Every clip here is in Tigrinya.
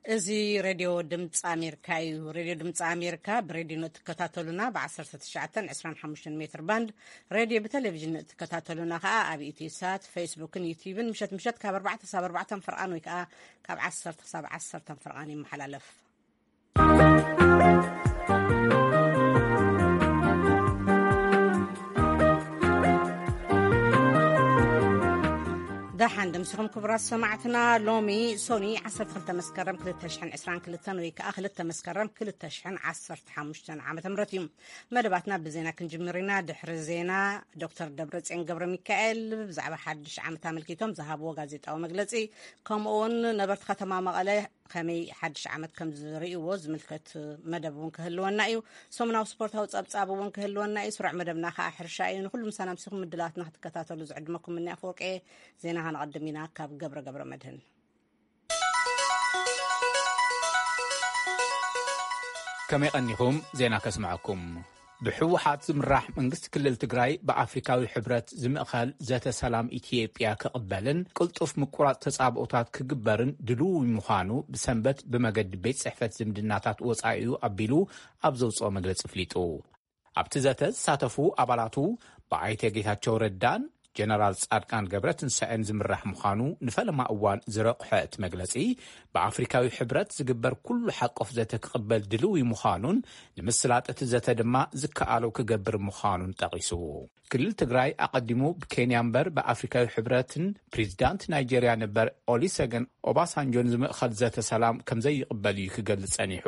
እዚ ሬድዮ ድምፂ ኣሜሪካ እዩ። ሬድዮ ድምፂ ኣሜሪካ ብሬድዮ ንእትከታተሉና ብ19፣ 25 ሜትር ባንድ፣ ሬድዮ ብቴሌቪዥን ንእትከታተሉና ከዓ ኣብ ኢትዮ ሳት፣ ፌስቡክን ዩቲዩብን ምሸት ምሸት ካብ ኣርባዕተ ክሳብ ኣርባዕተ ፍርቓን ወይ ከዓ ካብ ዓሰርተ ክሳብ ዓሰርተ ፍርቓን ይመሓላለፍ። ደሓን ደምሲኹም ክቡራት ሰማዕትና። ሎሚ ሶኒ 12 መስከረም 2022 ወይ ከዓ 2 መስከረም 2015 ዓመተ ምህረት እዩ። መደባትና ብዜና ክንጅምር ኢና። ድሕሪ ዜና ዶክተር ደብረጽዮን ገብረ ሚካኤል ብዛዕባ ሓድሽ ዓመት ኣመልኪቶም ዝሃብዎ ጋዜጣዊ መግለጺ፣ ከምኡ እውን ነበርቲ ከተማ መቐለ ከመይ ሓድሽ ዓመት ከም ዝርእይዎ ዝምልከት መደብ እውን ክህልወና እዩ። ሰሙናዊ ስፖርታዊ ጸብጻብ እውን ክህልወና እዩ። ስሩዕ መደብና ከዓ ሕርሻ እዩ። ንኩሉ ምሳና ምሲኹም ምድላትና ክትከታተሉ ዝዕድመኩም እኒ ኣፈወርቂ። ዜና ከነቐድም ኢና ካብ ገብረ ገብረ መድህን። ከመይ ቀኒኹም? ዜና ከስምዐኩም። ብህወሓት ዝምራሕ መንግስቲ ክልል ትግራይ ብኣፍሪካዊ ሕብረት ዝምእኸል ዘተ ሰላም ኢትዮጵያ ክቕበልን ቅልጡፍ ምቁራፅ ተፃብኦታት ክግበርን ድልዊ ምዃኑ ብሰንበት ብመገዲ ቤት ጽሕፈት ዝምድናታት ወፃኢኡ ኣቢሉ ኣብ ዘውፅኦ መግለፂ ኣፍሊጡ። ኣብቲ ዘተ ዝሳተፉ ኣባላቱ ብኣይተ ጌታቸው ረዳን ጀነራል ጻድቃን ገብረትንሳኤን ዝምራሕ ምዃኑ ንፈለማ እዋን ዝረቑሐ እቲ መግለጺ፣ ብኣፍሪካዊ ሕብረት ዝግበር ኩሉ ሓቆፍ ዘተ ክቕበል ድልዊ ምዃኑን ንምስላጥ እቲ ዘተ ድማ ዝከኣሎ ክገብር ምዃኑን ጠቒሱ። ክልል ትግራይ ኣቐዲሙ ብኬንያ እምበር ብኣፍሪካዊ ሕብረትን ፕሬዚዳንት ናይጄርያ ነበር ኦሊሰገን ኦባሳንጆን ዝምእኸል ዘተ ሰላም ከም ዘይቕበል እዩ ክገልጽ ጸኒሑ።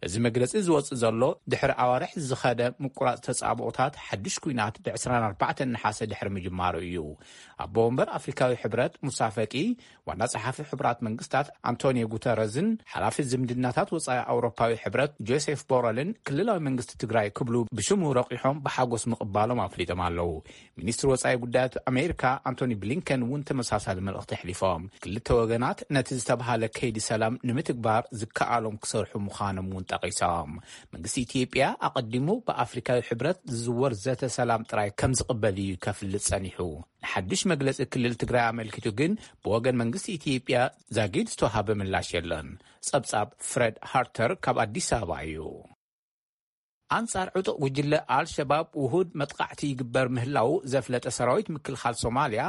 እዚ መግለጺ ዝወጽእ ዘሎ ድሕሪ ኣዋርሕ ዝኸደ ምቁራጽ ተጻብኦታት ሓድሽ ኲናት ብ24 ነሓሰ ድሕሪ ምጅማሩ እዩ። ኣቦ ወንበር ኣፍሪካዊ ሕብረት ሙሳ ፈቂ፣ ዋና ጸሓፊ ሕቡራት መንግስታት ኣንቶኒዮ ጉተረዝን ሓላፊ ዝምድናታት ወጻኢ ኣውሮፓዊ ሕብረት ጆሴፍ ቦረልን ክልላዊ መንግስቲ ትግራይ ክብሉ ብሽሙ ረቂሖም ብሓጎስ ምቕባሎም ኣፍሊጦም ኣለዉ። ሚኒስትሪ ወጻኢ ጉዳያት ኣሜሪካ ኣንቶኒ ብሊንከን እውን ተመሳሳሊ መልእኽቲ ኣሕሊፎም። ክልተ ወገናት ነቲ ዝተባሃለ ከይዲ ሰላም ንምትግባር ዝከኣሎም ክሰርሑ ምዃኖም እውን ጠቒሶም። መንግስቲ ኢትዮጵያ ኣቐዲሙ ብኣፍሪካዊ ሕብረት ዝዝወር ዘተ ሰላም ጥራይ ከም ዝቕበል እዩ ከፍልጥ ጸኒሑ። ንሓድሽ መግለጺ ክልል ትግራይ ኣመልኪቱ ግን ብወገን መንግስቲ ኢትዮጵያ ዛጊድ ዝተዋሃበ ምላሽ የለን። ጸብጻብ ፍሬድ ሃርተር ካብ ኣዲስ ኣበባ እዩ። ኣንጻር ዕጡቕ ጉጅለ ኣልሸባብ ውሁድ መጥቃዕቲ ይግበር ምህላው ዘፍለጠ ሰራዊት ምክልኻል ሶማልያ፣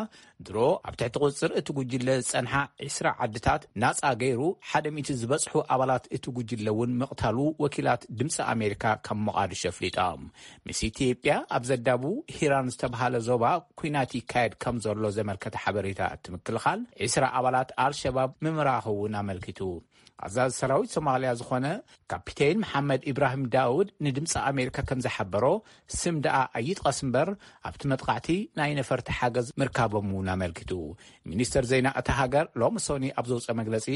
ድሮ ኣብ ትሕቲ ቁጽጽር እቲ ጉጅለ ዝጸንሓ 20 ዓድታት ናጻ ገይሩ፣ ሓደ ሚእቲ ዝበጽሑ ኣባላት እቲ ጉጅለ እውን ምቕታሉ ወኪላት ድምፂ ኣሜሪካ ካብ ሞቓዲሾ ኣፍሊጦም። ምስ ኢትዮጵያ ኣብ ዘዳቡ ሂራን ዝተባሃለ ዞባ ኲናት ይካየድ ከም ዘሎ ዘመልከተ ሓበሬታ እቲ ምክልኻል፣ 20 ኣባላት ኣልሸባብ ምምራኹ እውን ኣመልኪቱ። ኣዛዚ ሰራዊት ሶማልያ ዝኾነ ካፒቴን መሓመድ ኢብራሂም ዳውድ ንድምፂ ኣሜሪካ ከም ዝሓበሮ፣ ስም ደኣ ኣይጥቀስ እምበር፣ ኣብቲ መጥቃዕቲ ናይ ነፈርቲ ሓገዝ ምርካቦም እውን ኣመልኪቱ። ሚኒስተር ዜና እታ ሃገር ሎሚ ሶኒ ኣብ ዘውፀ መግለፂ፣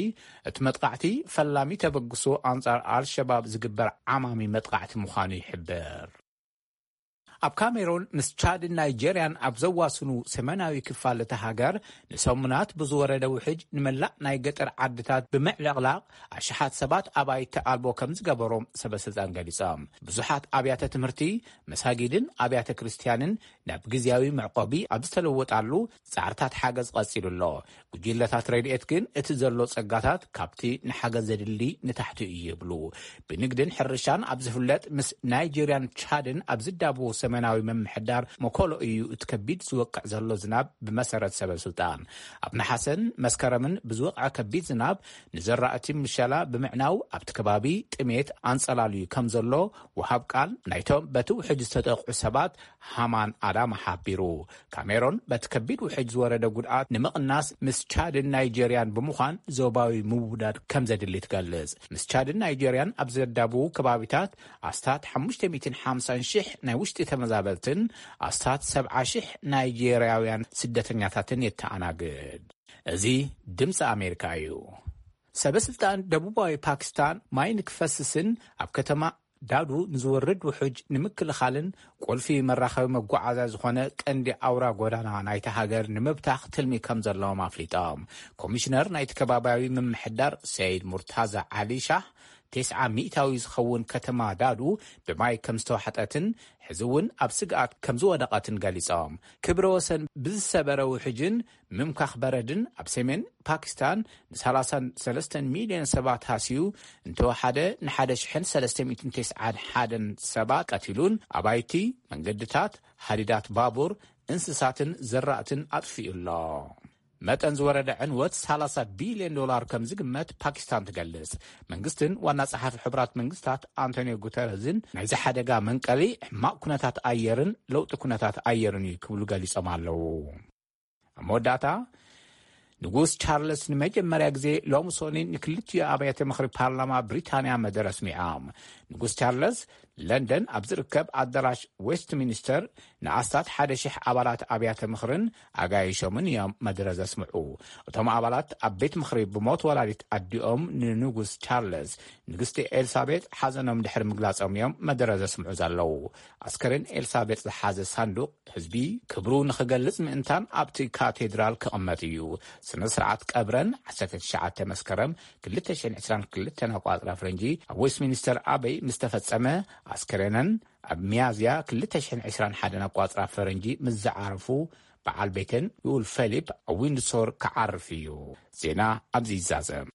እቲ መጥቃዕቲ ፈላሚ ተበግሶ ኣንጻር ኣልሸባብ ዝግበር ዓማሚ መጥቃዕቲ ምዃኑ ይሕብር። ኣብ ካሜሮን ምስ ቻድን ናይጄርያን ኣብ ዘዋስኑ ሰሜናዊ ክፋል እታ ሃገር ንሰሙናት ብዝወረደ ውሕጅ ንመላእ ናይ ገጠር ዓድታት ብምዕልቕላቕ ኣሽሓት ሰባት ኣባይቲ ኣልቦ ከም ዝገበሮም ሰበስልጣን ገሊጾም። ብዙሓት ኣብያተ ትምህርቲ፣ መሳጊድን ኣብያተ ክርስትያንን ናብ ግዝያዊ መዕቆቢ ኣብ ዝተለወጣሉ ጻዕርታት ሓገዝ ቀጺሉ ኣሎ። ጉጅለታት ረድኤት ግን እቲ ዘሎ ጸጋታት ካብቲ ንሓገዝ ዘድሊ ንታሕቲ እዩ ይብሉ። ብንግድን ሕርሻን ኣብ ዝፍለጥ ምስ ናይጄርያን ቻድን ኣብ ዝዳብዎ ሰሜናዊ ምምሕዳር መኮሎ እዩ እቲ ከቢድ ዝወቅዕ ዘሎ ዝናብ ብመሰረት ሰበስልጣን። ኣብ ነሓሰን መስከረምን ብዝወቕዐ ከቢድ ዝናብ ንዘራእቲ ምሸላ ብምዕናው ኣብቲ ከባቢ ጥሜት ኣንጸላልዩ ከም ዘሎ ወሃብ ቃል ናይቶም በቲ ውሕጅ ዝተጠቕዑ ሰባት ሃማን ኣዳማ ሓቢሩ። ካሜሮን በቲ ከቢድ ውሕጅ ዝወረደ ጉድኣት ንምቕናስ ምስ ቻድን ናይጄርያን ብምዃን ዞባዊ ምውዳድ ከም ዘድሊ ትገልጽ። ምስ ቻድን ናይጄርያን ኣብ ዘዳብዉ ከባቢታት ኣስታት 550,000 ናይ ውሽጢ ተመዛበልትን ኣስታት 70,000 ናይጄርያውያን ስደተኛታትን የተኣናግድ። እዚ ድምፂ ኣሜሪካ እዩ። ሰበስልጣን ደቡባዊ ፓኪስታን ማይ ንክፈስስን ኣብ ከተማ ዳዱ ንዝወርድ ውሕጅ ንምክልኻልን ቁልፊ መራኸቢ መጓዓዝያ ዝኾነ ቀንዲ ኣውራ ጎዳና ናይታ ሃገር ንምብታኽ ትልሚ ከም ዘለዎም ኣፍሊጦም። ኮሚሽነር ናይቲ ከባቢያዊ ምምሕዳር ሰይድ ሙርታዛ ዓሊ ሻህ ተስዓ ሚእታዊ ዝኸውን ከተማ ዳዱ ብማይ ከም ዝተዋሕጠትን ሕዚ እውን ኣብ ስግኣት ከም ዝወደቐትን ገሊጾም። ክብረ ወሰን ብዝሰበረ ውሕጅን ምምካኽ በረድን ኣብ ሰሜን ፓኪስታን ን ሰላሳን ሰለስተን ሚልዮን ሰባት ሃስዩ እንተወሓደ፣ ን ሓደ ሽሕን ሰለስተ ሚእትን ተስዓን ሓደን ሰባት ቀቲሉን ኣባይቲ፣ መንገድታት፣ ሃዲዳት ባቡር፣ እንስሳትን ዘራእትን ኣጥፊኡ ኣሎ። መጠን ዝወረደ ዕንወት ሰላሳ ቢልዮን ዶላር ከም ዝግመት ፓኪስታን ትገልጽ። መንግስትን ዋና ጸሓፊ ሕቡራት መንግስታት ኣንቶኒዮ ጉተረዝን ናይዚ ሓደጋ መንቀሊ ሕማቕ ኩነታት ኣየርን ለውጢ ኩነታት ኣየርን እዩ ክብሉ ገሊጾም ኣለዉ። ኣብ መወዳእታ፣ ንጉስ ቻርለስ ንመጀመርያ ግዜ ሎሚ ሶኒ ንክልቲኡ ኣብያተ ምኽሪ ፓርላማ ብሪታንያ መደረ ኣስሚዖም። ንጉስ ቻርለስ ለንደን ኣብ ዝርከብ ኣዳራሽ ዌስትሚኒስተር ንኣስታት ሓደ ሽሕ ኣባላት ኣብያተ ምኽርን ኣጋይሾምን እዮም መደረ ዘስምዑ። እቶም ኣባላት ኣብ ቤት ምኽሪ ብሞት ወላዲት ኣዲኦም ንንጉስ ቻርለስ፣ ንግስቲ ኤልሳቤጥ ሓዘኖም ድሕሪ ምግላጾም እዮም መደረ ዘስምዑ ዘለዉ። ኣስከሬን ኤልሳቤጥ ዝሓዘ ሳንዱቕ ህዝቢ ክብሩ ንኽገልጽ ምእንታን ኣብቲ ካቴድራል ክቕመጥ እዩ። ስነ ስርዓት ቀብረን ዓሰርተ ትሽዓተ መስከረም ክልተ ሽሕን ዕስራን ክልተን ኣቋጽራ ፈረንጂ ኣብ ዌስትሚኒስተር ኣበይ ምስ ተፈጸመ፣ ኣስከሬነን ኣብ ሚያዝያ ክልተ ሽሕን ዕስራን ሓደን ኣቋጽራ ፈረንጂ ምስ ዝዓረፉ፣ በዓል ቤተን ልኡል ፌሊፕ ኣብ ዊንድሶር ክዓርፍ እዩ። ዜና ኣብዚ ይዛዘም።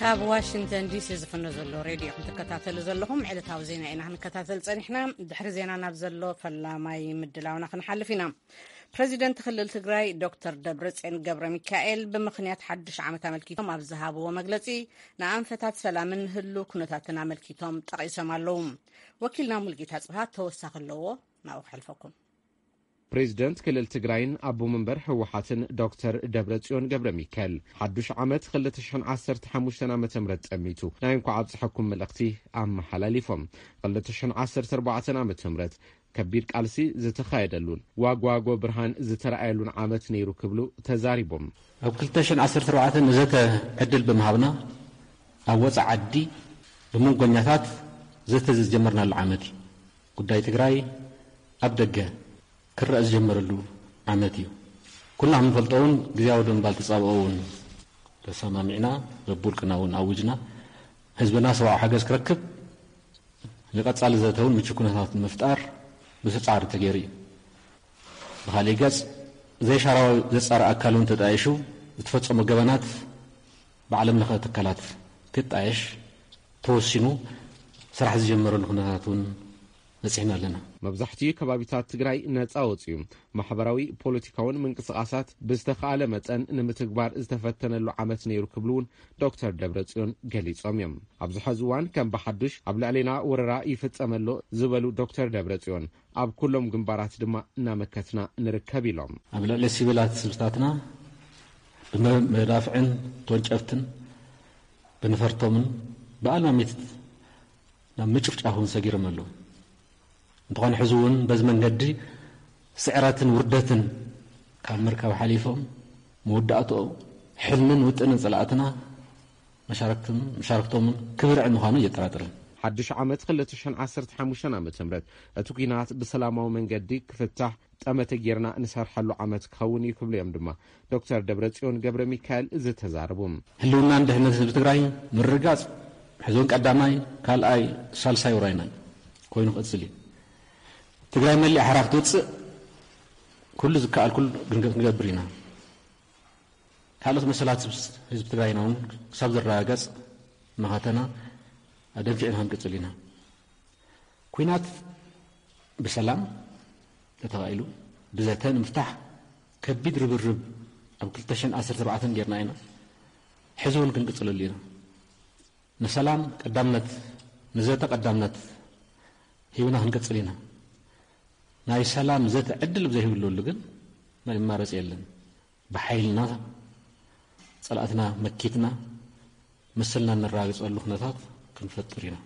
ካብ ዋሽንግተን ዲሲ ዝፍኖ ዘሎ ሬድዮ ክትከታተሉ ዘለኹም ዕለታዊ ዜና ኢና ክንከታተል ጸኒሕና። ድሕሪ ዜና ናብ ዘሎ ፈላማይ ምድላውና ክንሓልፍ ኢና። ፕረዚደንት ክልል ትግራይ ዶክተር ደብረጽዮን ገብረ ሚካኤል ብምኽንያት ሓድሽ ዓመት ኣመልኪቶም ኣብ ዝሃብዎ መግለጺ፣ ንኣንፈታት ሰላምን ህሉው ኩነታትን ኣመልኪቶም ጠቒሶም ኣለዉ። ወኪልና ሙልጌታ ጽብሃ ተወሳኺ ኣለዎ፣ ናብኡ ከሕልፈኩም። ፕሬዚደንት ክልል ትግራይን ኣቦ መንበር ህወሓትን ዶክተር ደብረጽዮን ገብረ ሚካኤል ሓዱሽ ዓመት ክልተ ሽሕን ዓሰርተ ሓሙሽተን ዓመተ ምህረት ጠሚቱ ናይ እንኳዕ ኣብፀሐኩም መልእኽቲ ኣመሓላሊፎም። ክልተ ሽሕን ዓሰርተ ኣርባዕተን ዓመተ ምህረት ከቢድ ቃልሲ ዝተኻየደሉን ዋጓጎ ብርሃን ዝተረኣየሉን ዓመት ነይሩ ክብሉ ተዛሪቦም። ኣብ ክልተ ሽሕን ዓሰርተ ኣርባዕተን ንዘተ ዕድል ብምሃብና ኣብ ወፃኢ ዓዲ ብመንጎኛታት ዘተ ዝጀመርናሉ ዓመት እዩ። ጉዳይ ትግራይ ኣብ ደገ ክረኣ ዝጀመረሉ ዓመት እዩ። ኩልና ከም ንፈልጦ እውን ግዝያዊ ደንባል ተፃብኦ እውን ተሰማሚዕና፣ በብውልቅና እውን ኣውጅና። ህዝብና ሰብኣዊ ሓገዝ ክረክብ፣ ንቐፃሊ ዘተ እውን ምቹ ኩነታት ንምፍጣር ብዙሕ ፃዕሪ ተገይሩ እዩ። ብኻሊእ ገፅ፣ ዘይሻራዊ ዘፃሪ ኣካል እውን ተጣይሹ ዝተፈፀሙ ገበናት ብዓለም ለኸ ትካላት ክጣየሽ ተወሲኑ ስራሕ ዝጀመረሉ ኩነታት እውን በፂሕና ኣለና። መብዛሕትኡ ከባቢታት ትግራይ ነፃ ወፅዩ፣ ማሕበራዊ ፖለቲካውን ምንቅስቓሳት ብዝተኻእለ መጠን ንምትግባር ዝተፈተነሉ ዓመት ነይሩ ክብሉ እውን ዶክተር ደብረጽዮን ገሊጾም እዮም። ኣብዚ ሐዚ እዋን ከም ብሓዱሽ ኣብ ልዕሌና ወረራ ይፍጸም ኣሎ ዝበሉ ዶክተር ደብረጽዮን፣ ኣብ ኩሎም ግንባራት ድማ እናመከትና ንርከብ ኢሎም። ኣብ ልዕሊ ሲቪላት ህዝብታትና ብመዳፍዕን ተወንጨፍትን ብንፈርቶምን ብኣልማሚት ናብ ምጭፍጫፍ እውን ሰጊሮም ኣለዉ። እንተኾነ ሕዚ እውን በዚ መንገዲ ስዕረትን ውርደትን ካብ ምርካብ ሓሊፎም መወዳእትኦም ሕልምን ውጥንን ጸላእትና መሻርክትን መሻርክቶምን ክብርዕ ምዃኑ የጠራጥርን። ሓድሽ ዓመት ክልተ ሽሕን ዓሰርተ ሓሙሽተን ዓመተ ምህረት እቲ ኲናት ብሰላማዊ መንገዲ ክፍታሕ ጠመተ ጌርና ንሰርሐሉ ዓመት ክኸውን እዩ ክብሉ እዮም ድማ ዶክተር ደብረጽዮን ገብረ ሚካኤል ዝተዛረቡ። ህልውናን ድሕነት ህዝቢ ትግራይ ምርግጋጽ ሕዚ እውን ቀዳማይ፣ ካልኣይ፣ ሳልሳይ ውራይና ኮይኑ ክቕጽል እዩ። ትግራይ መሊኣ ሕራ ክትወጽእ ኩሉ ዝከኣል ኩሉ ክንገ-፣ ክንገብር ኢና። ካልኦት መሰላት ህዝቢ፣ ህዝቢ ትግራይና እውን ክሳብ ዝረጋገጽ መኸተና ኣደንፊዕና ክንቅጽል ኢና። ኲናት ብሰላም ተተኻኢሉ ብዘተ ንምፍታሕ ከቢድ ርብርብ ኣብ ክልተ ሽሕን ዓሰርተ ኣርባዕተን ጌርና ኢና። ሕዚ እውን ክንቅጽለሉ ኢና። ንሰላም ቀዳምነት፣ ንዘተ ቀዳምነት ሂብና ክንቅጽል ኢና። ናይ ሰላም ዘተ ዕድል ብዘይህብለሉ ግን ናይ መማረጺ የለን። ብሓይልና ጸላእትና መኪትና መሰልና እነረጋግጸሉ ኩነታት ክንፈጥር ኢና።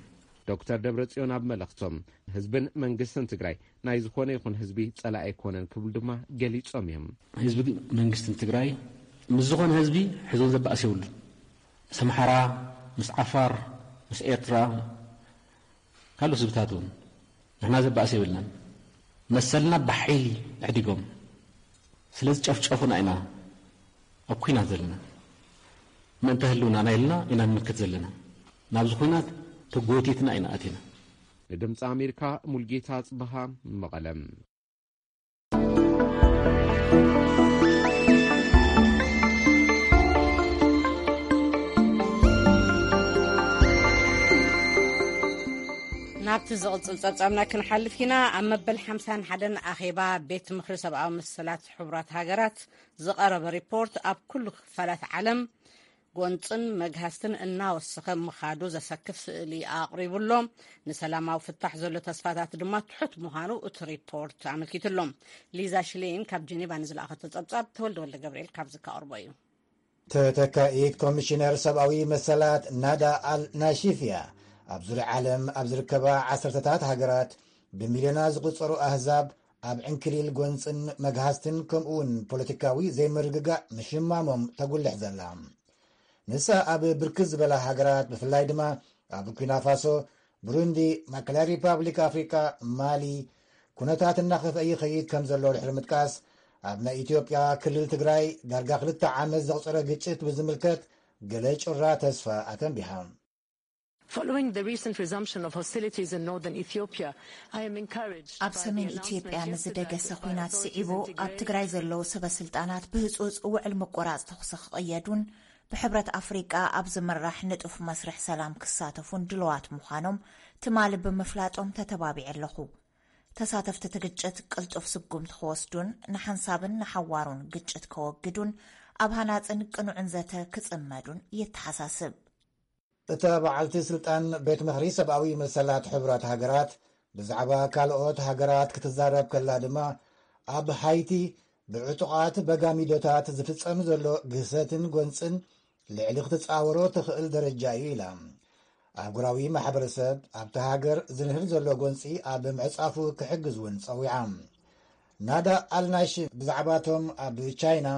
ዶክተር ደብረጽዮን ኣብ መልእኽቶም፣ ህዝብን መንግስትን ትግራይ ናይ ዝኾነ ይኹን ህዝቢ ጸላኢ ኣይኮነን ክብሉ ድማ ገሊጾም እዮም። ህዝቢ መንግስትን ትግራይ ምስ ዝኾነ ህዝቢ ሕዞን ዘባእስ የብሉን። ምስ ኣምሓራ፣ ምስ ዓፋር፣ ምስ ኤርትራ፣ ካልኦት ህዝብታት እውን ንሕና ዘባእስ የብልናን። መሰልና ብሓይሊ ኣሕዲጎም ስለ ዝጨፍጨፉና ኢና ኣብ ኲናት ዘለና። ምእንተ ህልውናና ኢልና ኢና ንምክት ዘለና። ናብዚ ኲናት ተጎቲትና ኢና ኣቲና። ንድምፂ ኣሜሪካ ሙልጌታ ጽበሃ፣ መቐለ። ናብቲ ዝቕጽል ጸብጻብና ክንሓልፍ ኢና። ኣብ መበል ሓምሳን ሓደን ኣኼባ ቤት ምኽሪ ሰብኣዊ መሰላት ሕቡራት ሃገራት ዝቐረበ ሪፖርት፣ ኣብ ኩሉ ክፋላት ዓለም ጎንጽን መግሃስትን እናወሰኸ ምኻዱ ዘሰክፍ ስእሊ ኣቕሪቡ ኣሎ። ንሰላማዊ ፍታሕ ዘሎ ተስፋታት ድማ ትሑት ምዃኑ እቲ ሪፖርት ኣመልኪቱ ኣሎ። ሊዛ ሽሌን ካብ ጀኔቫ ንዝለኣኸቶ ጸብጻብ፣ ተወልደ ወልደ ገብርኤል ካብዚ ከቕርቦ እዩ። ተተካኢት ኮሚሽነር ሰብኣዊ መሰላት ናዳ ኣል ናሺፍ እያ። ኣብ ዙርያ ዓለም ኣብ ዝርከባ ዓሰርተታት ሃገራት ብሚልዮናት ዝቑጸሩ ኣህዛብ ኣብ ዕንክሊል ጎንጽን መግሃስትን ከምኡውን ፖለቲካዊ ዘይምርግጋእ ምሽማሞም ተጉልሕ ዘላ። ንሳ ኣብ ብርክት ዝበላ ሃገራት፣ ብፍላይ ድማ ኣብ ቡርኪና ፋሶ፣ ብሩንዲ፣ ማእከላይ ሪፓብሊክ ኣፍሪቃ፣ ማሊ፣ ኩነታት እናኸፍአ ይኸይድ ከም ዘሎ ድሕሪ ምጥቃስ፣ ኣብ ናይ ኢትዮጵያ ክልል ትግራይ ዳርጋ ክልተ ዓመት ዘቑጸረ ግጭት ብዝምልከት ገለ ጭራ ተስፋ ኣተንቢሃ። Following the recent resumption of hostilities in northern Ethiopia, I am encouraged ኣብ by the ሰሜን announcement ኢትዮጵያ yesterday ንዝደገሰ by ኲናት authorities ስዒቡ in ኣብ Tigray. ትግራይ ዘለዉ ሰበ ስልጣናት ብህፁፅ ውዕል ምቁራፅ ተኹሲ ክቕየዱን ብሕብረት ኣፍሪቃ ኣብ ዝምራሕ ንጡፍ መስርሕ ሰላም ክሳተፉን ድልዋት ምዃኖም ትማሊ ብምፍላጦም ተተባቢዐ ኣለኹ። ተሳተፍቲ እቲ ግጭት ቅልጡፍ ስጉምቲ ክወስዱን ንሓንሳብን ንሓዋሩን ግጭት ከወግዱን ኣብ ሃናፅን ቅኑዕን ዘተ ክፅመዱን የተሓሳስብ። እታ በዓልቲ ስልጣን ቤት ምኽሪ ሰብኣዊ መሰላት ሕቡራት ሃገራት ብዛዕባ ካልኦት ሃገራት ክትዛረብ ከላ ድማ፣ ኣብ ሃይቲ ብዕጡቓት በጋሚዶታት ዝፍጸም ዘሎ ግህሰትን ጎንጽን ልዕሊ ክትጻወሮ ትኽእል ደረጃ እዩ ኢላ። ኣህጉራዊ ማሕበረሰብ ኣብቲ ሃገር ዝንህር ዘሎ ጎንጺ ኣብ ምዕጻፉ ክሕግዝ እውን ጸዊዓ። ናዳ ኣልናሽ ብዛዕባቶም ኣብ ቻይና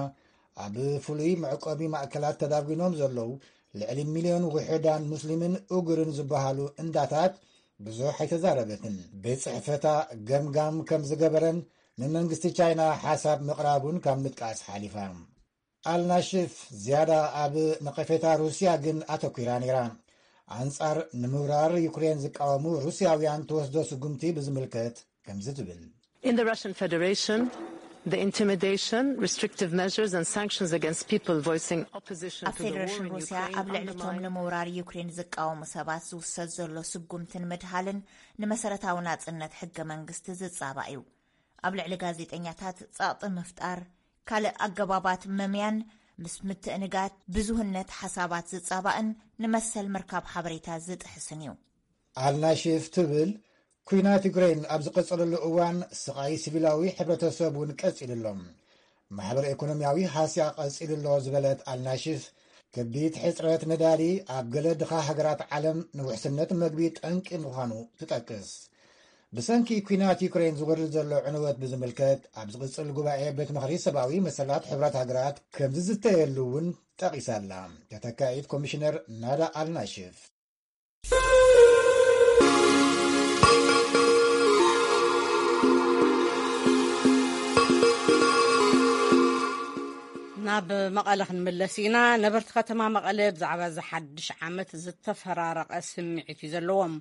ኣብ ፍሉይ መዕቆቢ ማእከላት ተዳጒኖም ዘለዉ ልዕሊ ሚልዮን ውሑዳን ሙስሊምን ኡጉርን ዝበሃሉ እንዳታት ብዙሕ ኣይተዛረበትን። ቤት ጽሕፈታ ገምጋም ከም ዝገበረን ንመንግስቲ ቻይና ሓሳብ ምቕራቡን ካብ ምጥቃስ ሓሊፋ። ኣልናሽፍ ዝያዳ ኣብ ነቐፌታ ሩስያ ግን ኣተኲራ ነይራ። ኣንጻር ንምውራር ዩክሬን ዝቃወሙ ሩስያውያን ትወስዶ ስጉምቲ ብዝምልከት ከምዚ ትብል። In the Russian Federation, the intimidation, restrictive measures and sanctions against people voicing opposition ኣብ to the war ፌደሬሽን in ሩስያ Ukraine ኣብ ልዕሊቶም undermine ንምውራር ዩክሬን ዝቃወሙ ሰባት ዝውሰድ ዘሎ ስጉምትን ምድሃልን ንመሰረታዊ ናጽነት ሕገ መንግስቲ ዝጻባእ እዩ። ኣብ ልዕሊ ጋዜጠኛታት ጸቕጢ ምፍጣር፣ ካልእ ኣገባባት መምያን ምስ ምትእንጋድ ብዙህነት ሓሳባት ዝጻባእን ንመሰል ምርካብ ሓበሬታ ዝጥሕስን እዩ። ኣልናሽፍ ትብል፣ ኲናት ዩክሬን ኣብ ዝቐጸለሉ እዋን ስቓይ ሲቪላዊ ሕብረተሰብ እውን ቀጺሉ ኣሎ። ማሕበረ ኢኮኖሚያዊ ሃስያ ቀጺሉ ኣሎ ዝበለት ኣልናሽፍ፣ ከቢድ ሕጽረት ነዳዲ ኣብ ገለ ድኻ ሃገራት ዓለም ንውሕስነት መግቢ ጠንቂ ምዃኑ ትጠቅስ። ብሰንኪ ኲናት ዩክሬን ዝወርድ ዘሎ ዕንወት ብዝምልከት ኣብ ዝቕጽል ጉባኤ ቤት ምኽሪ ሰብኣዊ መሰላት ሕቡራት ሃገራት ከም ዝዝተየሉ እውን ጠቒሳ ኣላ። ተተካኢት ኮሚሽነር ናዳ ኣልናሽፍ። ናብ መቐለ ክንምለስ ኢና። ነበርቲ ከተማ መቐለ ብዛዕባ እዚ ሓድሽ ዓመት ዝተፈራረቐ ስምዒት እዩ ዘለዎም።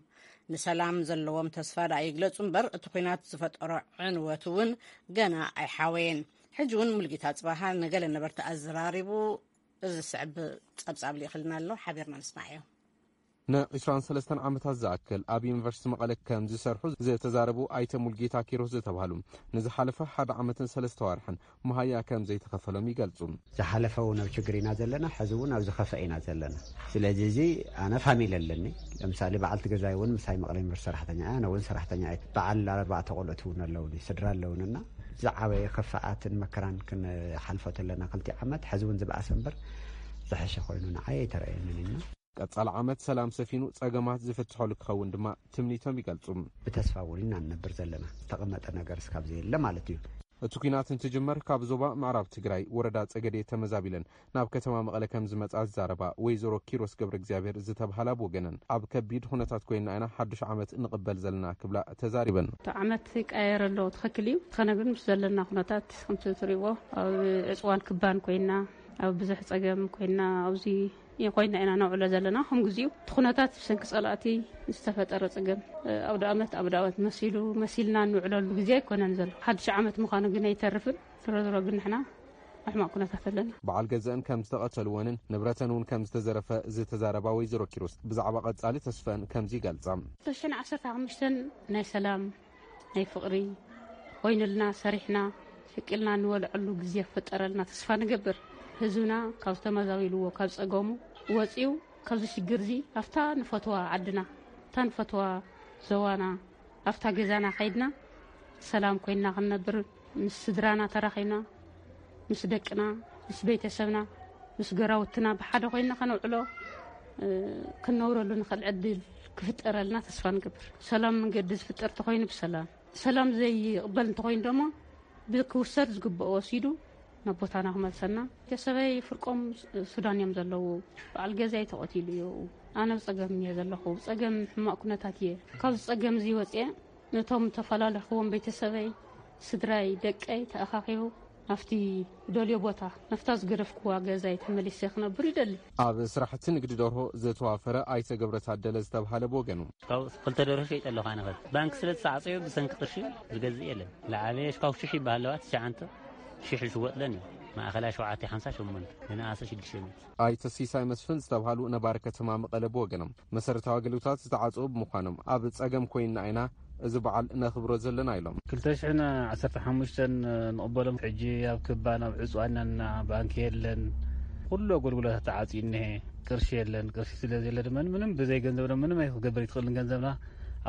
ንሰላም ዘለዎም ተስፋ ደኣ ይግለጹ እምበር፣ እቲ ኲናት ዝፈጠሮ ዕንወት እውን ገና ኣይሓወየን። ሕጂ እውን ሙልጌታ ጽባሃ ንገለ ነበርቲ ኣዘራሪቡ፣ እዚ ዝስዕብ ጸብጻብ ልኢኽልና ኣሎ፣ ሓቢርና ንስማዓዮ። ንዒስራን ሰለስተን ዓመታት ዝኣክል ኣብ ዩኒቨርሲቲ መቐለ ከም ዝሰርሑ ዝተዛረቡ ኣይተ ሙልጌታ ኪሮስ ዝተባህሉ፣ ንዝሓለፈ ሓደ ዓመትን ሰለስተ ዋርሕን መሃያ ከም ዘይተኸፈሎም ይገልጹ። ዝሓለፈ እውን ኣብ ችግር ኢና ዘለና፣ ሕዚ እውን ኣብ ዝኸፍአ ኢና ዘለና። ስለዚ እዚ ኣነ ፋሚሊ ኣለኒ። ለምሳሌ በዓልቲ ገዛይ እውን ምሳይ መቐለ ዩኒቨርሲቲ ሰራሕተኛ እያ፣ ኣነ እውን ሰራሕተኛ እየ። በዓል ኣርባዕተ ቆልዑት እውን ኣለውኒ፣ ስድራ ኣለውንና ዝዓበየ ክፍኣትን መከራን ክንሓልፎ ተለና ክልቲ ዓመት፣ ሕዚ እውን ዝበኣሰ እምበር ዝሐሸ ኮይኑ ንዓይ ኣይተረእየንን ኢና። ቀጻሊ ዓመት ሰላም ሰፊኑ ጸገማት ዝፍትሐሉ ክኸውን ድማ ትምኒቶም ይገልጹ። ብተስፋ እውን ኢና ንነብር ዘለና። ዝተቐመጠ ነገር እስካብ ዘየለ ማለት እዩ። እቲ ኲናት እንትጅመር ካብ ዞባ ምዕራብ ትግራይ ወረዳ ጸገዴ ተመዛቢለን ናብ ከተማ መቐለ ከም ዝመጻ ዝዛረባ ወይዘሮ ኪሮስ ገብረ እግዚኣብሔር ዝተብሃላ ብወገነን፣ ኣብ ከቢድ ኩነታት ኮይና ኢና ሓዱሽ ዓመት ንቕበል ዘለና ክብላ ተዛሪበን። እቲ ዓመት ይቀያየር ኣሎ፣ ትኽክል እዩ። ዝኾነ ግን ምስ ዘለና ኩነታት ከምቲ ትሪእዎ ኣብ ዕፅዋን ክባን ኮይና፣ ኣብ ብዙሕ ጸገም ኮይና ኣብዚ ኮይና ኢና ነውዕሎ ዘለና። ከም ግዚኡ እቲ ኩነታት ብሰንኪ ጸላእቲ ዝተፈጠረ ጸገም፣ ኣውደ ዓመት ኣውደ ዓመት መሲሉ መሲልና እንውዕለሉ ግዜ ኣይኮነን ዘሎ። ሓድሽ ዓመት ምዃኑ ግን ኣይተርፍን። ዝሮ ዝሮ ግን ንሕና ኣብ ሕማቕ ኩነታት ኣለና። በዓል ገዘአን ከም ዝተቐተልወንን ንብረተን እውን ከም ዝተዘረፈ ዝተዛረባ ወይዘሮ ኪሮስ ብዛዕባ ቀጻሊ ተስፈን ከምዚ ይገልጻ። ክልተ ሽሕን ዓሰርተ ሓሙሽተን ናይ ሰላም ናይ ፍቕሪ ኮይኑልና፣ ሰሪሕና ሽቅልና እንበልዐሉ ግዜ ክፍጠረልና ተስፋ ንገብር። ህዝብና ካብ ዝተመዛበልዎ ካብ ጸገሙ ወጺኡ ካብዚ ሽግር እዚ ኣብታ ንፈትዋ ዓድና፣ ኣብታ ንፈትዋ ዞባና፣ ኣብታ ገዛና ከይድና ሰላም ኮይንና ክንነብር፣ ምስ ስድራና ተራኺብና፣ ምስ ደቅና፣ ምስ ቤተሰብና፣ ምስ ገራውትና ብሓደ ኮይንና ከነውዕሎ፣ እ፣ ክንነብረሉ ንኽእል ዕድል ክፍጠረልና ተስፋ ንገብር። ሰላም መንገዲ ዝፍጠር እንተኾይኑ ብሰላም፣ ሰላም ዘይቕበል እንተኾይኑ ደሞ ብክውሰድ ዝግብኦ ወሲዱ ናብ ቦታና ክመልሰና። ቤተሰበይ ፍርቆም ሱዳን እዮም ዘለዉ። በዓል ገዛይ ተቐቲሉ እዩ። ኣነ ብጸገም እየ ዘለኹ። ብጸገም ሕማቕ ኩነታት እየ። ካብዚ ጸገም እዚ ወጽየ ነቶም ተፈላለኹዎም ቤተሰበይ፣ ስድራይ፣ ደቀይ ተኣኻኺቡ ናብቲ ደልዮ ቦታ፣ ናብታ ዝገደፍኩዋ ገዛይ ተመሊሰ ክነብር ይደሊ። ኣብ ስራሕቲ ንግዲ ደርሆ ዝተዋፈረ ኣይተ ገብረ ታደለ ዝተብሃለ ብወገኑ፣ ካብ ክልተ ደርሆ ሸይጠ ኣለኹ ኣነ። ኸዚ ባንክ ስለ ዝተዓፀዩ ብሰንኪ ቅርሺ ዝገዝእ የለን። ዝዓበየ ካብ ሽሕ ይበሃል ኣለዋ፣ ትሽዓንተ ሽሕ ዝሽወጥለን እዩ። ማእኸላይ ሸውዓተ ሓምሳ ሸሞንተ፣ ንንኣሰ ሽዱሽተ ሚእቲ። ኣይተ ሲሳይ መስፍን ዝተብሃሉ ነባሪ ከተማ መቐለ ብወገኖም፣ መሰረታዊ ኣገልግሎታት ዝተዓፀዉ ብምዃኖም ኣብ ፀገም ኮይንና ኢና እዚ በዓል ነኽብሮ ዘለና ኢሎም። ክልተ ሽሕን ዓሰርተ ሓሙሽተን ንቕበሎም። ሕጂ ኣብ ክባን ኣብ ዕፅዋን ኢና፣ ባንኪ የለን፣ ኩሉ ኣገልግሎታት ተዓፅዩ እኒሀ። ቅርሺ የለን። ቅርሺ ስለ ዘየለ ድማ ምንም ብዘይ ገንዘብ ድማ ምንም ኣይክገብር ይትኽእልን። ገንዘብና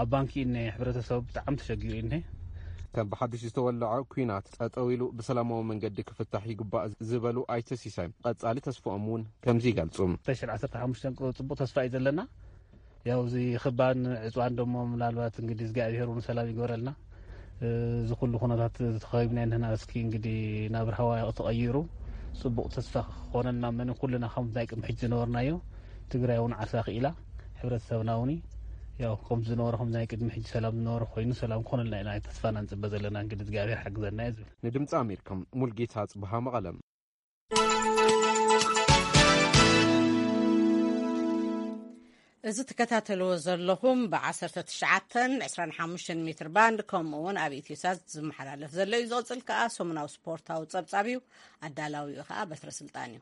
ኣብ ባንኪ እኒሀ። ሕብረተሰቡ ብጣዕሚ ተሸጊሩ እኒሀ። ከም ብሓዱሽ ዝተወለዐ ኲናት ጠጠው ኢሉ ብሰላማዊ መንገዲ ክፍታሕ ይግባእ ዝበሉ ኣይተ ሲሳይ፣ ቀጻሊ ተስፍኦም እውን ከምዚ ይገልጹ። ክልተ ሽሕን ዓሰርተ ሓሙሽተን ጽቡቕ ተስፋ እዩ ዘለና። ያው እዚ ክባን ዕፅዋን ደሞ ምናልባት እንግዲህ እግዚኣብሔር እውን ሰላም ይግበረልና። እዚ ኩሉ ኩነታት ተኸቢብና እንህና፣ እስኪ እንግዲህ ናብ ርሃዋ ተቐይሩ ጽቡቕ ተስፋ ክኾነልና፣ መን ኩልና ከም ናይ ቅድሚ ሕጂ ዝነበርናዮ፣ ትግራይ እውን ዓሳ ክኢላ፣ ሕብረተሰብና እውን ያው ከም ዝነበረ፣ ከም ናይ ቅድሚ ሕጂ ሰላም ዝነበረ ኮይኑ ሰላም ክኾነልና ኢና ተስፋና ንጽበ ዘለና። እንግዲህ እግዚኣብሔር ሓግዘና እዩ ዝብል። ንድምፂ ኣሜሪካ ሙልጌታ ጽብሃ መቐለ። እዚ ትከታተልዎ ዘለኹም ብ19፣ 25 ሜትር ባንድ፣ ከምኡ እውን ኣብ ኢትዮሳት ዝመሓላለፍ ዘሎ እዩ። ዝቕጽል ከኣ ሰሙናዊ ስፖርታዊ ጸብጻብ እዩ። ኣዳላዊኡ ከኣ በትረ ስልጣን እዩ።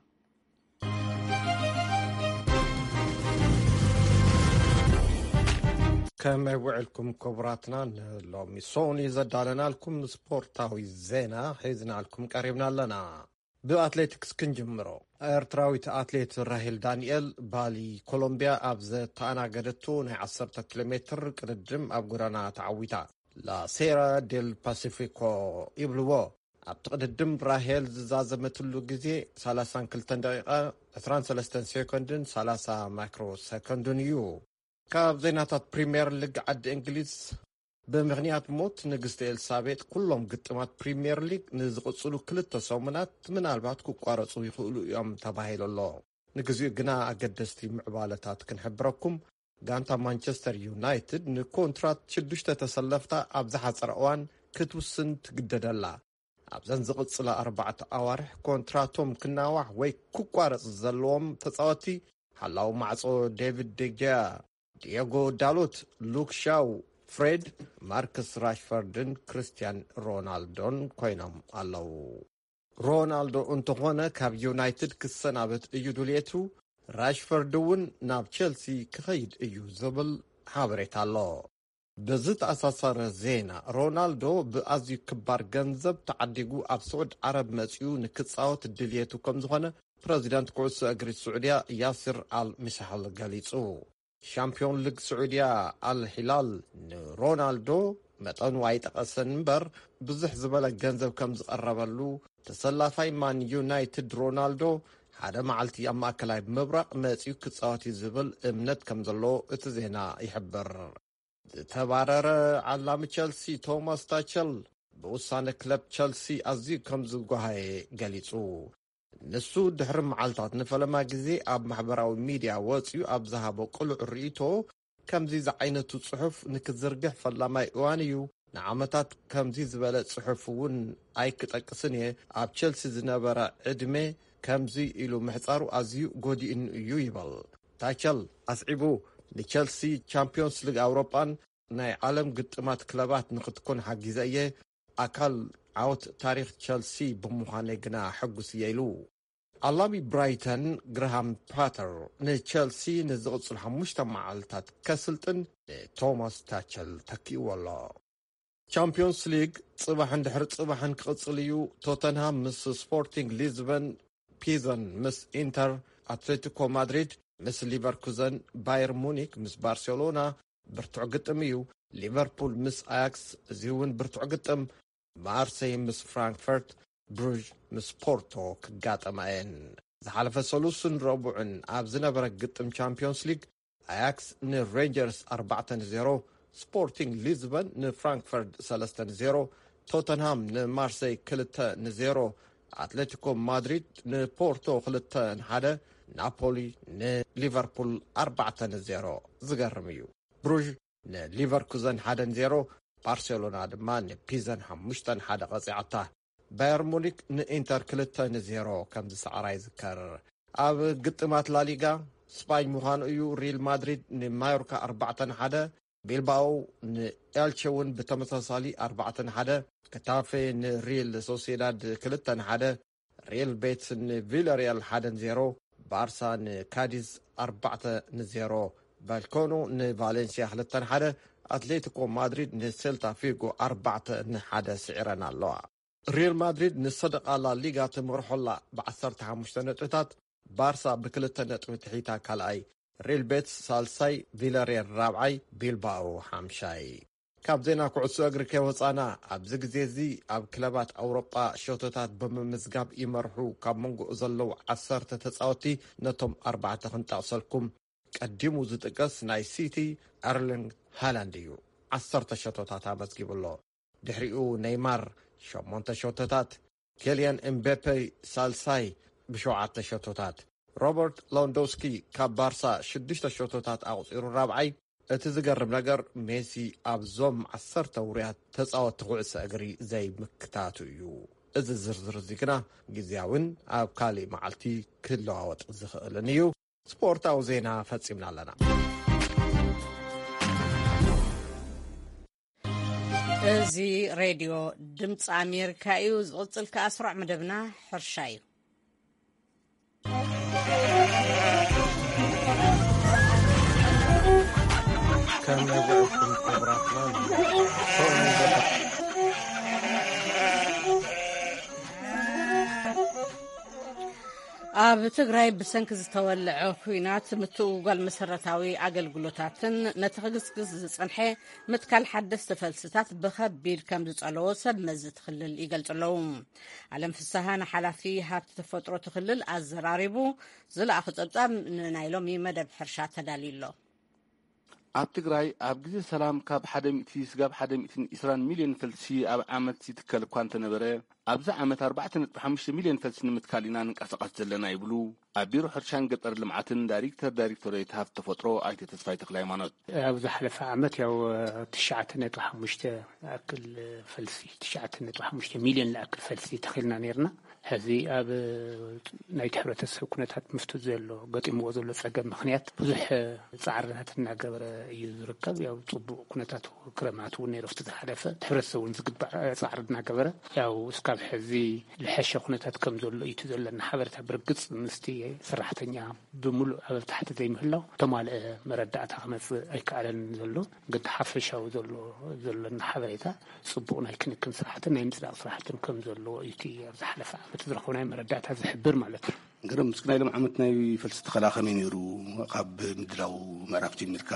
ከመይ ውዕልኩም ክቡራትና? ንሎሚ ሰሙን እዩ ዘዳለናልኩም ስፖርታዊ ዜና ሒዝናልኩም ቀሪብና ኣለና። ብኣትሌቲክስ ክንጅምሮ። ኤርትራዊት ኣትሌት ራሄል ዳንኤል ባሊ ኮሎምቢያ ኣብ ዘተኣናገደቶ ናይ 10 ኪሎ ሜትር ቅድድም ኣብ ጎዳና ተዓዊታ። ላሴራ ዴል ፓሲፊኮ ይብልዎ። ኣብቲ ቅድድም ራሄል ዝዛዘመትሉ ግዜ 32 ደቂቓ 23 ሴኮንድን 30 ማይክሮ ሰኮንድን እዩ። ካብ ዜናታት ፕሪምየር ሊግ ዓዲ እንግሊዝ፣ ብምኽንያት ሞት ንግስቲ ኤልሳቤጥ ኩሎም ግጥማት ፕሪምየር ሊግ ንዝቕጽሉ ክልተ ሰሙናት ምናልባት ክቋረጹ ይኽእሉ እዮም ተባሂሉ ኣሎ። ንግዚኡ ግና ኣገደስቲ ምዕባለታት ክንሕብረኩም። ጋንታ ማንቸስተር ዩናይትድ ንኮንትራት ሽዱሽተ ተሰለፍታ ኣብ ዝሓጸረ እዋን ክትውስን ትግደደላ። ኣብዘን ዝቕጽላ ኣርባዕተ ኣዋርሕ ኮንትራቶም ክናዋሕ ወይ ክቋረጽ ዘለዎም ተጻወትቲ ሓላው ማዕጾ ዴቪድ ዴጊያ፣ ዲየጎ ዳሎት፣ ሉክ ሻው፣ ፍሬድ፣ ማርከስ ራሽፈርድን ክርስቲያን ሮናልዶን ኮይኖም ኣለዉ። ሮናልዶ እንተኾነ ካብ ዩናይትድ ክሰናበት እዩ ድልየቱ፣ ራሽፈርድ እውን ናብ ቸልሲ ክኸይድ እዩ ዝብል ሓበሬታ ኣሎ። ብዝተኣሳሰረ ዜና፣ ሮናልዶ ብኣዝዩ ክባር ገንዘብ ተዓዲጉ ኣብ ስዑድ ዓረብ መጺኡ ንክጻወት ድልየቱ ከም ዝኾነ ፕረዚደንት ኩዕሶ እግሪ ስዑድያ ያሲር ኣል ሚሳሕል ገሊጹ። ሻምፒዮን ሊግ ስዑድያ ኣል ሂላል ንሮናልዶ መጠኑ ኣይጠቐሰን እምበር፣ ብዙሕ ዝበለ ገንዘብ ከም ዝቐረበሉ፣ ተሰላፋይ ማን ዩናይትድ ሮናልዶ ሓደ መዓልቲ ኣብ ማእከላይ ምብራቕ መጺኡ ክጻወት እዩ ዝብል እምነት ከም ዘለዎ እቲ ዜና ይሕብር። ዝተባረረ ዓላሚ ቸልሲ ቶማስ ታቸል ብውሳነ ክለብ ቸልሲ ኣዝዩ ከም ዝጓሃየ ገሊጹ። ንሱ ድሕሪ መዓልታት ንፈለማ ግዜ ኣብ ማሕበራዊ ሚድያ ወጺኡ ኣብ ዝሃቦ ቅሉዕ ርእይቶ፣ ከምዚ ዝዓይነቱ ጽሑፍ ንክዝርግሕ ፈላማይ እዋን እዩ። ንዓመታት ከምዚ ዝበለ ጽሑፍ እውን ኣይክጠቅስን እየ። ኣብ ቸልሲ ዝነበረ ዕድመ ከምዚ ኢሉ ምሕጻሩ ኣዝዩ ጎዲእኒ እዩ ይበል። ታቸል ኣስዒቡ፣ ንቸልሲ ቻምፒዮንስ ሊግ ኣውሮጳን ናይ ዓለም ግጥማት ክለባት ንክትኮን ሓጊዘ እየ። ኣካል ዓወት ታሪኽ ቸልሲ ብምዃነይ ግና ሕጉስ እየ ኢሉ። ኣላሚ ብራይተን፣ ግርሃም ፓተር፣ ንቸልሲ ንዝቕጽሉ ሓሙሽተ መዓልታት ከስልጥን ንቶማስ ታቸል ተኪእዎ ኣሎ። ቻምፒዮንስ ሊግ ጽባሕን ድሕሪ ጽባሕን ክቕጽል እዩ። ቶተንሃም ምስ ስፖርቲንግ ሊዝበን፣ ፒዘን ምስ ኢንተር፣ ኣትሌቲኮ ማድሪድ ምስ ሊቨርኩዘን፣ ባየር ሙኒክ ምስ ባርሴሎና ብርቱዕ ግጥም እዩ። ሊቨርፑል ምስ ኣያክስ፣ እዚ እውን ብርቱዕ ግጥም። ማርሴይ ምስ ፍራንክፈርት፣ ብሩዥ ምስ ፖርቶ ክጋጠማ እየን። ዝሓለፈ ሰሉስን ረቡዕን ኣብ ዝነበረ ግጥም ቻምፒዮንስ ሊግ፣ ኣያክስ ንሬንጀርስ ኣርባዕተ ንዜሮ፣ ስፖርቲንግ ሊዝበን ንፍራንክፈርት ሰለስተ ንዜሮ፣ ቶተንሃም ንማርሴይ ክልተ ንዜሮ፣ ኣትሌቲኮ ማድሪድ ንፖርቶ ክልተ ንሓደ፣ ናፖሊ ንሊቨርፑል ኣርባዕተ ንዜሮ። ዝገርም እዩ። ብሩዥ ንሊቨርኩዘን ሓደ ንዜሮ፣ ባርሴሎና ድማ ንፒዘን ሓሙሽተ ንሓደ ቀጺዓታ። ባየር ሙኒክ ንኢንተር ክልተ ንዜሮ ከም ዝሰዓራ ይዝከር። ኣብ ግጥማት ላሊጋ ስፓኝ ምዃኑ እዩ። ሪል ማድሪድ ንማዮርካ ኣርባዕተ ንሓደ፣ ቢልባኦ ንኤልቸ እውን ብተመሳሳሊ ኣርባዕተ ንሓደ፣ ክታፌ ንሪል ሶሲዳድ ክልተ ንሓደ፣ ሪል ቤትስ ንቪላሪያል ሓደ ንዜሮ፣ ባርሳ ንካዲዝ ኣርባዕተ ንዜሮ፣ ባልኮኖ ንቫሌንሲያ ክልተ ንሓደ፣ ኣትሌቲኮ ማድሪድ ንሴልታ ፊጎ ኣርባዕተ ንሓደ ስዒረን ኣለዋ። ሪል ማድሪድ ንሰደቓ ላሊጋ ትመርሖ ኣላ ብዓሰርተ ሓሙሽተ ነጥብታት፣ ባርሳ ብክልተ ነጥቢ ትሒታ ካልኣይ፣ ሪል ቤትስ ሳልሳይ፣ ቪላሪያል ራብዓይ፣ ቢልባኦ ሓምሻይ። ካብ ዜና ኩዕሶ እግሪ ከይወጻና፣ ኣብዚ ግዜ እዚ ኣብ ክለባት ኣውሮጳ ሸቶታት ብምምዝጋብ ይመርሑ ካብ መንጎ ዘለዉ ዓሰርተ ተጻወቲ ነቶም ኣርባዕተ ክንጠቕሰልኩም። ቀዲሙ ዝጥቀስ ናይ ሲቲ ኤርሊንግ ሃላንድ እዩ። ዓሰርተ ሸቶታት ኣመዝጊቡ ኣሎ። ድሕሪኡ ኔይማር ሸሞንተ ሸቶታት፣ ኬልያን ኤምቤፔ ሳልሳይ ብሸውዓተ ሸቶታት፣ ሮበርት ሎንዶስኪ ካብ ባርሳ ሽዱሽተ ሸቶታት ኣቑጺሩ ራብዓይ። እቲ ዝገርም ነገር ሜሲ ኣብዞም ዓሰርተ ውሩያት ተጻወትቲ ኩዕሶ እግሪ ዘይምክታቱ እዩ። እዚ ዝርዝር እዚ ግና ግዝያውን ኣብ ካልእ መዓልቲ ክለዋወጥ ዝኽእልን እዩ። ስፖርታዊ ዜና ፈጺምና ኣለና። እዚ ሬድዮ ድምፂ ኣሜሪካ እዩ። ዝቕፅል ከኣ ስሩዕ መደብና ሕርሻ እዩ። ከም ናይ ውዕልኩም ክቡራትና ኣብ ትግራይ ብሰንኪ ዝተወልዐ ኲናት ምትእጉጓል መሰረታዊ ኣገልግሎታትን ነቲ ክግስግስ ዝጸንሐ ምትካል ሓደስቲ ፈልስታት ብኸቢድ ከም ዝጸለዎ ሰብ መዚ እቲ ክልል ይገልጹ ኣለዉ። ኣለም ፍስሃ ንሓላፊ ሃብቲ ተፈጥሮ እቲ ክልል ኣዘራሪቡ ዝለኣኹ ጸብጻብ ንናይ ሎሚ መደብ ሕርሻ ተዳልዩ ኣሎ። ኣብ ትግራይ ኣብ ግዜ ሰላም ካብ ሓደ ሚእቲ ስጋብ ሓደ ሚእትን ዕስራን ሚልዮን ፈልሲ ኣብ ዓመት ይትከል እኳ እንተነበረ፣ ኣብዚ ዓመት ኣርባዕተ ነጥቢ ሓሙሽተ ሚልዮን ፈልሲ ንምትካል ኢና ንንቀሳቐስ ዘለና ይብሉ ኣብ ቢሮ ሕርሻን ገጠር ልምዓትን ዳይሬክተር ዳይሬክቶሬት ሃብቲ ተፈጥሮ ኣይተ ተስፋይ ተክለ ሃይማኖት። ኣብ ዝሓለፈ ዓመት ያው ትሽዓተ ነጥቢ ሓሙሽተ ዝኣክል ፈልሲ፣ ትሽዓተ ነጥቢ ሓሙሽተ ሚልዮን ዝኣክል ፈልሲ ተኺልና ነይርና። ሕዚ ኣብ ናይቲ ሕብረተሰብ ኩነታት ምስቲ ዘሎ ገጢምዎ ዘሎ ጸገም ምኽንያት ብዙሕ ጻዕርታት እናገበረ እዩ ዝርከብ። ያው ጽቡቕ ኩነታት ክረማት እውን ነይሩ ኣብቲ ዝሓለፈ። እቲ ሕብረተሰብ እውን ዝግባእ ጻዕሪ እናገበረ ያው እስካብ ሕዚ ዝሐሸ ኩነታት ከም ዘሎ እዩ እቲ ዘለና ሓበሬታ። ብርግጽ ምስቲ ሰራሕተኛ ብምሉእ ኣብ ታሕቲ ዘይምህላው ተማልአ መረዳእታ ክመጽእ ኣይከኣለን ዘሎ። ግን እቲ ሓፈሻዊ ዘሎ፣ ዘለና ሓበሬታ ጽቡቕ ናይ ክንክን ስራሕትን ናይ ምጽዳቕ ስራሕትን ከም ዘለዎ እዩ እቲ ኣብ ዝሓለፈ ዓመት ዝረኸብናዮ መረዳእታ ዝሕብር ማለት እዩ። ገረም፣ እስኪ ናይ ሎም ዓመት ናይ ፈልሲ ተኸላ ከመይ ነይሩ? ካብ ምድላው ምዕራፍ ጀሚርካ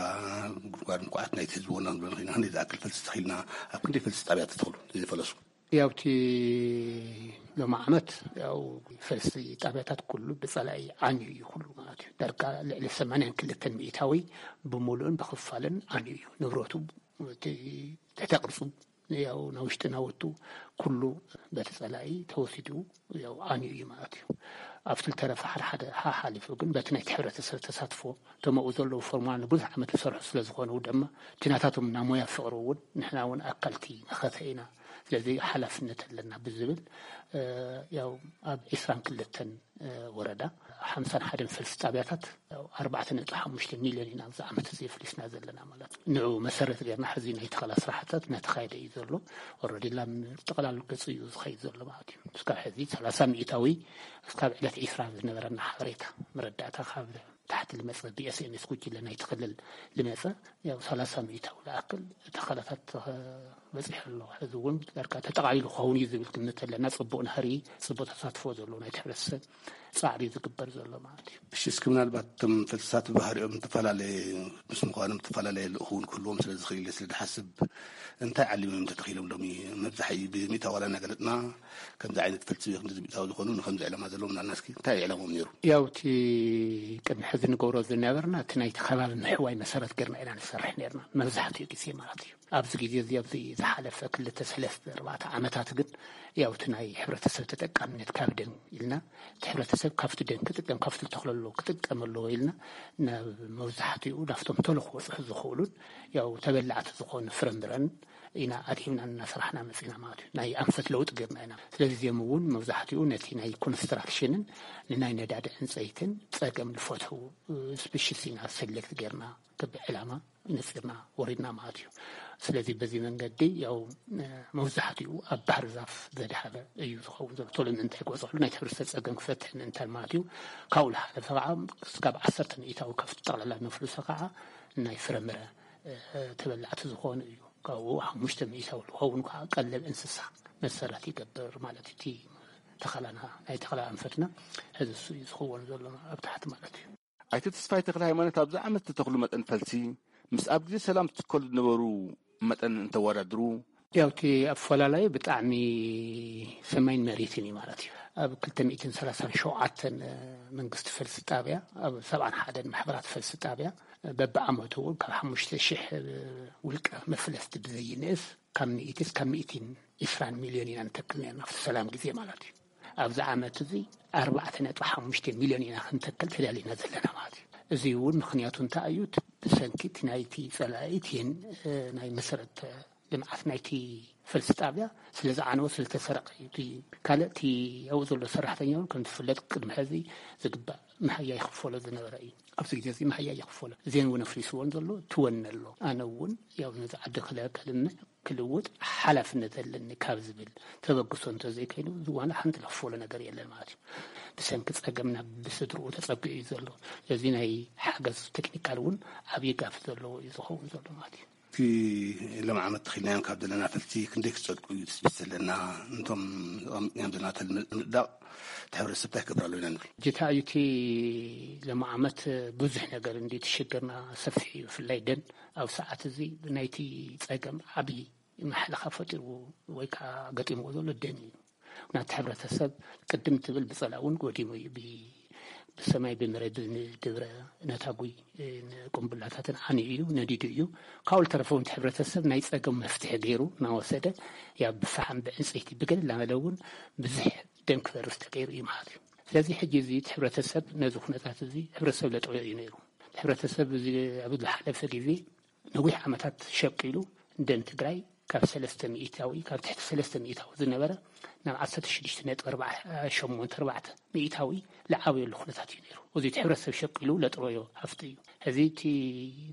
ጉድጓድ እንኳዓት ናይቲ ህዝቢ ወናን ብለን ኸይና ክንደይ ዝኣክል ፈልሲ ተኺልና፣ ኣብ ክንደይ ፈልሲ ጣብያ ተተኽሉ ዘይፈለሱ? ያው እቲ ሎም ዓመት ያው ፈልሲ ጣብያታት ኩሉ ብጸላኢ ዓንዩ እዩ ኩሉ ማለት እዩ። ዳርጋ ልዕሊ ሰማንያን ክልተን ሚእታዊ ብምሉእን ብኽፋልን ዓንዩ እዩ። ንብረቱ እቲ ትሕተ ቅርጹ ያው ናውሽጢ ናወቱ ኩሉ በቲ ጸላኢ ተወሲዱ ያው ዓንዩ እዩ ማለት እዩ። ኣብቲ ዝተረፈ ሓደ ሓደ ሓሓሊፉ ግን በቲ ናይቲ ሕብረተሰብ ተሳትፎ ተመኡ ዘለዉ ፎርማል ንብዙሕ ዓመት ዝሰርሑ ስለ ዝኾኑ ድማ እቲ ናታቶም ናይ ሞያ ፍቕሪ እውን ንሕና እውን ኣካልቲ መኸተ ኢና፣ ስለዚ ሓላፍነት ኣለና ብዝብል ያው ኣብ ዕስራን ክልተን ወረዳ ሓምሳን ሓደን ፈልሲ ጣብያታት ኣርባዕተ ነጥቢ ሓሙሽተ ሚልዮን ኢና ኣብዚ ዓመት እዚ ኣፍሊስና ዘለና ማለት እዩ። ንዑ መሰረት ገይርና ሕዚ ናይ ተኸላ ስራሕታት እናተኻየደ እዩ ዘሎ። ኦረዲ ላም ጠቕላሉ ገጹ እዩ ዝኸይድ ዘሎ ማለት እዩ። እስካብ ሕዚ ሰላሳ ሚእታዊ እስካብ ዕለት ዒስራ ዝነበረና ሓበሬታ መረዳእታ ካብ ታሕቲ ልመጸ ብኤስኤምኤስ ጉጅለ ናይቲ ክልል ልመጸ ያው ሰላሳ ሚእታዊ ዝኣክል ተኸላታት በጺሑ ኣሎ። ሕዚ እውን ዳርጋ ተጠቓሊሉ ክኸውን እዩ ዝብል ግምት ኣለና። ጽቡቕ ናህሪ፣ ጽቡቕ ተሳትፎ ዘለዎ ናይቲ ሕብረተሰብ ጻዕሪ ዝግበር ዘሎ ማለት እዩ። እሺ፣ እስኪ ምናልባት እቶም ፈልስታት ብባህሪኦም ዝተፈላለየ ምስ ምዃኖም ዝተፈላለየ ልእኹ እውን ክህልዎም ስለ ዝኽእል ኢለ ስለ ዝሓስብ እንታይ ዓሊሞም እዮም ተተኺሎም ሎሚ? መብዛሕትኡ ብሚእታዊ ዋላ እናገለጽና ከምዚ ዓይነት ፈልሲ ወይ ከምዚ ሚእታዊ ዝኾኑ ንከምዚ ዕላማ ዘለዎም ናልና እስኪ እንታይ እዩ ዕላሞም ነይሩ? ያው እቲ ቅድሚ ሕዚ ንገብሮ ዝነበርና እቲ ናይቲ ከባቢ ምሕዋይ መሰረት ገርና ኢና ንሰርሕ ነርና መብዛሕትኡ ግዜ ማለት እዩ። ኣብዚ ግዜ እዚ ኣብዚ ዝሓለፈ ክልተ ሰለስተ ኣርባዕተ ዓመታት ግን ያው እቲ ናይ ሕብረተሰብ ተጠቃምነት ካብ ደን ኢልና እቲ ሕብረተሰብ ካብቲ ደን ክጥቀም ካብቲ ዝተኽለሎ ክጥቀም ኣለዎ ኢልና ናብ መብዛሕትኡ ናብቶም ተሎ ክበፅሑ ዝኽእሉን ያው ተበላዕቲ ዝኾኑ ፍረምረን ኢና ኣድሂብና እናሰራሕና መፂና ማለት እዩ። ናይ ኣንፈት ለውጢ ገርና ኢና። ስለዚ እዚኦም እውን መብዛሕትኡ ነቲ ናይ ኮንስትራክሽንን ንናይ ነዳዲ ዕንፀይትን ፀገም ዝፈትሑ ስፔሽስ ኢና ሰሌክት ገርና ክብ ዕላማ ነፂርና ወሪድና ማለት እዩ። ስለዚ በዚ መንገዲ ያው መብዛሕትኡ ኣብ ባህር ዛፍ ዘድሃበ እዩ ዝኸውን ዘሎ። ቶሎ ምእንታይ ክበፅሕሉ ናይ ሕብረተሰብ ፀገም ክፈትሕ ምእንታን ማለት እዩ። ካብኡ ዝሓለፈ ከዓ እስካብ ዓሰርተ ሚእታዊ ካብቲ ጠቕላላ ነፍልሶ ከዓ ናይ ፍረምረ ተበላዕቲ ዝኾኑ እዩ። ካብኡ ሓሙሽተ ሚእታዊ ዝኸውን ከዓ ቀለብ እንስሳ መሰረት ይገብር ማለት እዩ። እቲ ተኸላና ናይ ተኸላ ኣንፈትና ሕዚ እሱ እዩ ዝኸውን ዘሎ ኣብ ታሕቲ ማለት እዩ። ኣይተ ተስፋይ ተክለ ሃይማኖት ኣብዚ ዓመት ዝተኽሉ መጠን ፈልሲ ምስ ኣብ ግዜ ሰላም ዝትከሉ ዝነበሩ መጠን እንተወዳድሩ ያው እቲ ኣፈላላይ ብጣዕሚ ሰማይን መሬትን እዩ ማለት እዩ። ኣብ ክልተ ሚእትን ሰላሳን ሸውዓተን መንግስቲ ፈልሲ ጣብያ ኣብ ሰብዓን ሓደን ማሕበራት ፈልሲ ጣብያ በብዓመቱ እውን ካብ ሓሙሽተ ሽሕ ውልቀ መፍለስቲ ብዘይንእስ ካብ ሚእቲ እስካብ ሚእትን ዕስራን ሚልዮን ኢና ንተክል ነርና ኣብቲ ሰላም ግዜ ማለት እዩ። ኣብዚ ዓመት እዚ ኣርባዕተ ነጥቢ ሓሙሽተ ሚልዮን ኢና ክንተክል ተዳሊና ዘለና ማለት እዩ። እዚ እውን ምኽንያቱ እንታይ እዩ? ብሰንኪ እቲ ናይቲ ጸላኢ እቲ ናይ መሰረት ልምዓት ናይቲ ፈልሲ ጣብያ ስለ ዝዓነወ ስለ ዝተሰረቀ እዩ። እቲ ካልእ እቲ ኣብኡ ዘሎ ሰራሕተኛ እውን ከም ዝፍለጥ ቅድሚ ሕዚ ዝግባእ መሃያ ይኽፈሎ ዝነበረ እዩ። ኣብዚ ግዜ እዚ መሃያ ይኽፈሎ እዚን እውን ኣፍሪስዎን ዘሎ ትወነ ኣሎ። ኣነ እውን ያው ነዚ ዓዲ ክለ ከልምዕ ክልውጥ ሓላፍነት ኣለኒ ካብ ዝብል ተበግሶ እንተዘይከይኑ ዝዋነ ሓንቲ ለኽፈሎ ነገር የለን ማለት እዩ። ብሰንኪ ጸገም ናብ ብስድርኡ ተጸጊዑ እዩ ዘሎ። ስለዚ ናይ ሓገዝ ቴክኒካል እውን ዓብዪ ጋፍ ዘለዎ እዩ ዝኸውን ዘሎ ማለት እዩ። እቲ ሎም ዓመት ተኺልናዮም ካብ ዘለና ፈልሲ ክንደይ ክጸድቁ እዩ ትስቢት ዘለና? እንቶም ኣቐሚጥናዮም ዘለና ተልሚ ምጽዳቕ እቲ ሕብረተሰብ እንታይ ክገብር ኣለዎ ኢና ንብል? ጅታ እዩ እቲ ሎም ዓመት ብዙሕ ነገር እንዲ ትሽግርና ሰፊሕ እዩ። ብፍላይ ደን ኣብ ሰዓት እዚ ናይቲ ጸገም ዓብዪ ማሕለኻ ፈጢሩ ወይ ከዓ ገጢምዎ ዘሎ ደን እዩ። ናቲ ሕብረተሰብ ቅድም ትብል ብጸላ እውን ጎዲሙ እዩ። ብሰማይ ብመሬት ብድብረ ነታጉይ ንቁምቡላታትን ዓንዩ እዩ ነዲዱ እዩ። ካብኡ ዝተረፈ እውን እቲ ሕብረተሰብ ናይ ጸገም መፍትሒ ገይሩ እናወሰደ ያ ብፈሓም ብዕንፀይቲ ብገለ እናበለ እውን ብዙሕ ደም ክፈርስ ተገይሩ እዩ ማለት እዩ። ስለዚ ሕጂ እዚ እቲ ሕብረተሰብ ነዚ ኩነታት እዚ ሕብረተሰብ ለጠዮ እዩ ነይሩ። ሕብረተሰብ እዚ ኣብ ዝሓለፈ ግዜ ነዊሕ ዓመታት ሸቂሉ ደን ትግራይ ካብ ሰለስተ ሚእታዊ ካብ ትሕቲ ሰለስተ ሚእታዊ ዝነበረ ናብ ዓሰርተ ሽዱሽተ ነጥቢ ኣርባዕተ ሸሞንተ ኣርባዕተ ሚእታዊ ዝዓበየሉ ኩነታት እዩ ነይሩ። እዚ እቲ ሕብረተሰብ ሸቂሉ ለጥረዮ ሃፍቲ እዩ። ሕዚ እቲ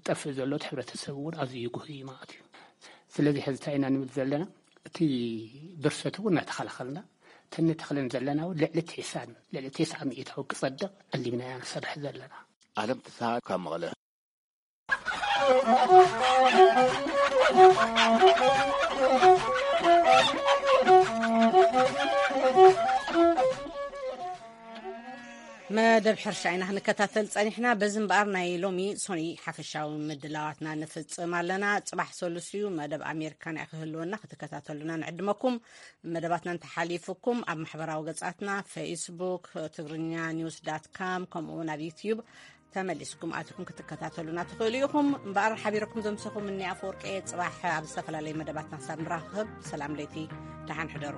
ጠፍእ ዘሎ እቲ ሕብረተሰብ እውን ኣዝዩ ይጉህ እዩ ማለት እዩ። ስለዚ ሕዚ እንታይ ኢና ንብል ዘለና? እቲ ብርሰት እውን እናተኸላኸልና ተንተኽለን ዘለና እውን ልዕሊ ትስዓን ልዕሊ ተስዓ ሚእታዊ ክጸድቕ ኣሊምና ኢና ንሰርሕ ዘለና። ኣለም ተስሃ ካብ መቐለ። መደብ ሕርሻ ኢና ክንከታተል ጸኒሕና። በዚ እምበኣር ናይ ሎሚ ሶኒ ሓፈሻዊ ምድላዋትና ንፍጽም ኣለና። ጽባሕ ሰሉስ እዩ፣ መደብ ኣሜሪካና ክህልወና ክትከታተሉና ንዕድመኩም። መደባትና እንተሓሊፉኩም ኣብ ማሕበራዊ ገጻትና ፌስቡክ ትግርኛ ኒውስ ዳት ካም ከምኡ እውን ኣብ ዩትዩብ ተመሊስኩም ኣትኩም ክትከታተሉና ትኽእሉ ኢኹም። እምበኣር ሓቢረኩም ዘምሰኹም እኒ ኣፈወርቂ እየ። ጽባሕ ኣብ ዝተፈላለዩ መደባትና ክሳብ ንራኸብ ሰላም ለይቲ፣ ደሓን ሕደሩ።